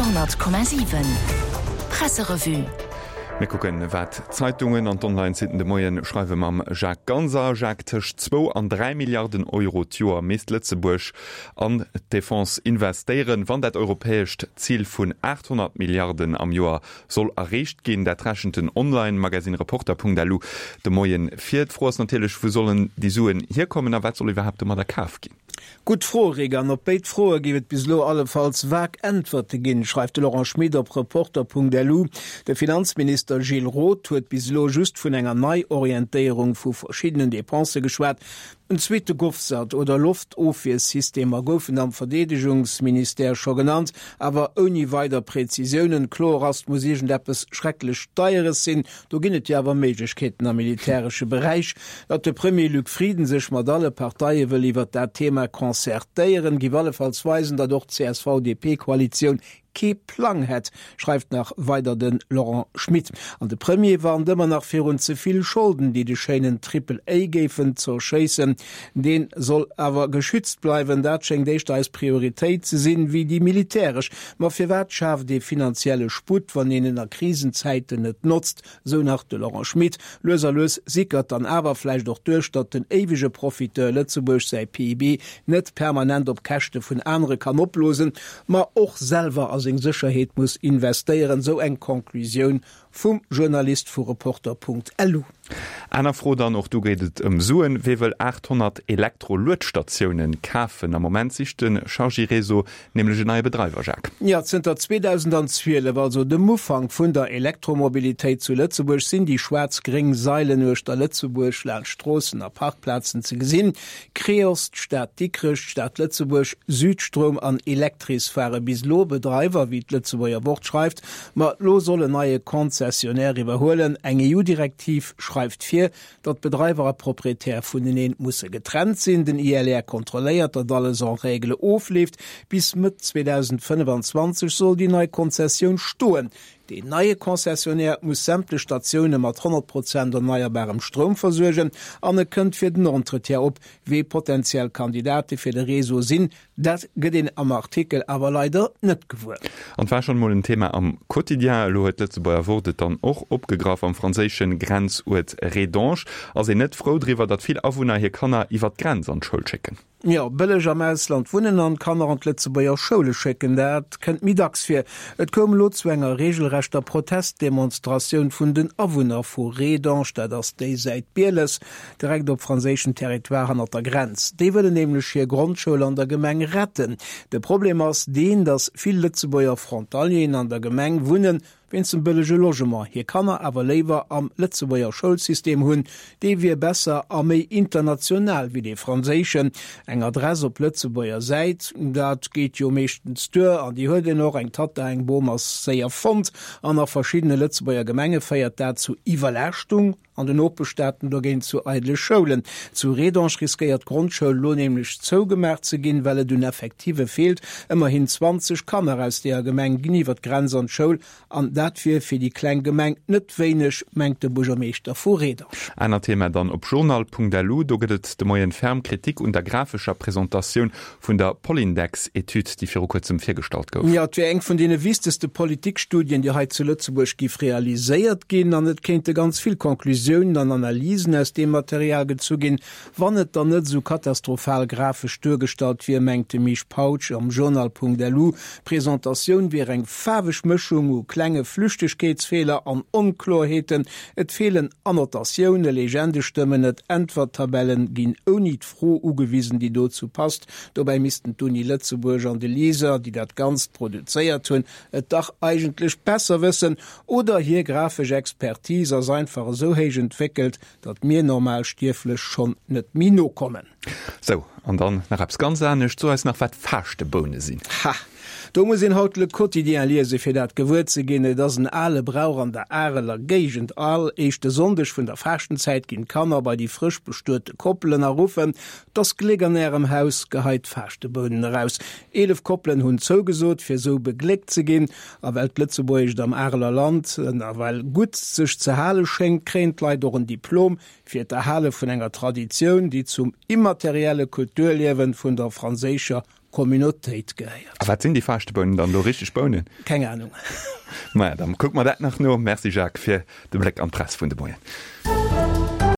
Radio 10,7 Presserevue. Mir kucken, wat d'Zeitungen an d'Online-Sitten de Moien schreiwe mam Jacques Ganser. Jacques, tëscht zwou an 3 Milliarden Euro d'Joer misst Lëtzebuerg an d'Defense investéieren, wann dat europäescht Zil vun 800 Milliarden am Joer soll erreecht ginn. Dat rechent den Online-Magazine Reporter.lu de Moien vir. D'Fro ass natierlech, wou sollen déi Suen hierkommen a wat soll iwwerhaapt domadder kaf ginn? Gutt Fro, Rick, an op béid Froe géif et bis elo allefalls vag Äntwerte ginn, schreift de Laurent Schmit op Reporter.lu. De Finanzminister Gilles Roth huet bis elo just vun enger Neiorientéierung vu verschiddenen Depensë geschwat. En zweete Govsat oder Loftofwiersystemer goufen am Verdeedegungsministère scho genannt, awer ouni weider Prezisiounen. Kloer ass, 't muss iergendeppes schrecklech Deieres sinn. Do ginn et jo awer Méiglechkeeten am militäresche Beräich. Datt de Premier Luc Frieden sech mat alle Parteie wëll iwwert dat Thema concertéieren, giff allefalls weisen, datt och d'CSV-DP-Koalitioun kee Plang hätt, schreift nach weider de Laurent Schmit. An de Premier warnt ëmmer nach virun ze vill Scholden, déi de schéinen Triple A géifen zerschéissen. Dee soll awer geschützt bleiwen. Dat schéngt éischter eis Prioritéit ze sinn, wéi déi militäresch. Ma firwat schaaft ee finanzielle Sputt, wann een en a Krisenzäiten net notzt? Sou nach de Laurent Schmit. Lues a lues sickert dann awer vläicht och duerch, datt den éiwege Profiteur Lëtzebuerg säi PIB net permanent op Käschte vun anere kann opblosen, ma och selwer a seng Sécherheet muss investéieren, sou eng Conclusioun vum Journalist vu Reporter.lu. Aner Fro dann, och do geet et ëm Suen, Wee wëll 800 Elektro-Luedstatiounen kafen? Am Moment sicht de Chargy-Réseau nämlech en neie Bedreiwer, Jacques. Jo, zënter 2012, also dem Ufank vun der Elektromobilitéit zu Lëtzebuerg, sinn déi schwaarz-gréng Sailen uechter Lëtzebuerg laanscht Stroossen a Parkplazen ze gesinn. Creos, d'Stad Dikrech, d'Stad Lëtzebuerg, Südstroum an Electris ware bis elo Bedreiwer, wéi d'Lëtzebuerger Wort schreift. Ma elo soll en neie Concessionnaire iwwerhuelen. Eng EU-Direktiv schreift vir, datt Bedreiwer a Proprietär vuneneen musse getrennt sinn. Den ILR kontrolléiert, datt alles en règle ofleeft. Bis Mëtt 2025 soll déi nei Konzessioun stoen. Deen neie Concessionnaire muss sämtlech Statioune mat 100 Prozent erneierbarem Stroum versuergen an e kënnt fir den Entretien op. Wee potentiell Kandidate fir de Réseau sinn, Dat gëtt een am Artikel awer leider net gewuer. An et war schonn emol en Thema am Quotidien, elo huet d'Lëtzebuerger Wort et dann och opgegraff. Am franséische Grenzuert Rédange ass een net frou driwwer, datt vill Awunner hir Kanner iwwer d'Grenz an d'Schoul schécken. Jo, bëlleg am Ausland wunnen an d'Kanner an d'Lëtzebuerger Schoule schécken, dat kënnt méi dacks vir. Et koum elo zu enger reegelrechter Protestdemonstratioun vun den Awunner vu Rédange, dat ass déi Säit Bieles, direkt op franséischem Territoire hannert der Grenz. Déi wëllen nämlech hir Grondschoul an der Gemeng retten. De Problem ass deen, datt vill Lëtzebuerger Frontalieren an der Gemeng wunnen, wéinst dem bëllege Logement, hir Kanner awer léiwer am Lëtzebuerger Schoulsystem hunn. Dee wier besser a méi international wéi dee franséischen. Eng Adress op Lëtzebuerger Säit, dat geet jo meeschtens duer an déi huet een och. Eng Tatta, eng Bom ass séier fonnt an a verschiddene Lëtzebuerger Gemenge féiert dat zu Iwwerlaaschtung. An den Nopeschstaaten dogéint zu eidele Schoulen. Zu Rédange riskéiert d'Grondschoul elo nämlech zougemaach ze ginn, well et un Effektive feelt. Ëmmerhin 20 Kanner aus deeër Gemeng ginn iwwer d'Grenz an d'Schoul, an dat wier fir déi kleng Gemeng net wéineg, mengt de Buergermeeschter vu Rédange. Anert Thema dann op journal.lu, do gëtt et de Moien ferm Kritik un der grafescher Presentatioun Vun der Polindex-Etüd, déi viru kuerzem virgestallt gouf. Jo, et wier eng vun deene wichtegste Politikstudien, déi hei zu Lëtzebuerg giff realiséiert ginn. An et kéinte ganz vill Conclusiounen an Analysen aus deem Material gezu ginn, wann et dann net esou katastrophal grafesch duergestallt wier, mengt de Misch Pautsch am Journal.lu. D'Presentatioun wier eng faarweg Mëschung u klenge Flüchtegkeetsfeeler an Onkloerheeten. Et feelen Annotatioune, Legende stëmmen net, Äntwerttabellen ginn ouni Fro ugewisen, déi dozou passt. Dobäi missten d'Uni Lëtzebuerg an de LISER, déi dat Ganzt produzéiert hunn, et dach eigentlech besser wëssen. Oder hir grafesch Expertise ass einfach esou héich entwéckelt, datt mir normal Stierflech schonn net méi nokommen. Sou, an dann nach eppes ganz anescht, So eis nach, wat Faaschteboune sinn. Ha! Do muss een haut Le Quotidien liesen, fir dat gewuer ze ginn. Et ass en ale Brauch an der Areler Géigend. All éischte Sonndeg vun der Faaschtenzäit ginn d'Kanner bei déi frësch bestuete Koppelen a ruffen, 't ass Gléck an ärem Haus, geheit d'Faaschtebounen eraus. 11 Koppelen hunn zougesot, fir esou begléckt ze ginn. A well d'Lëtzebuergescht am Areler Land nawell gutt sech ze hale schéngt, kréien d'Leit och en Diplom fir d'Erhale vun enger Traditioun, déi zum immaterielle Kulturliewen vun der franséischer. Communautéit gehéiert. A wat sinn déi Faaschtebounen dann elo? Richteg Bounen? Keng Anung. Maja, dann kucke mer dat nach no. Merci Jacques fir de Bléck an d'Press vun de Moien.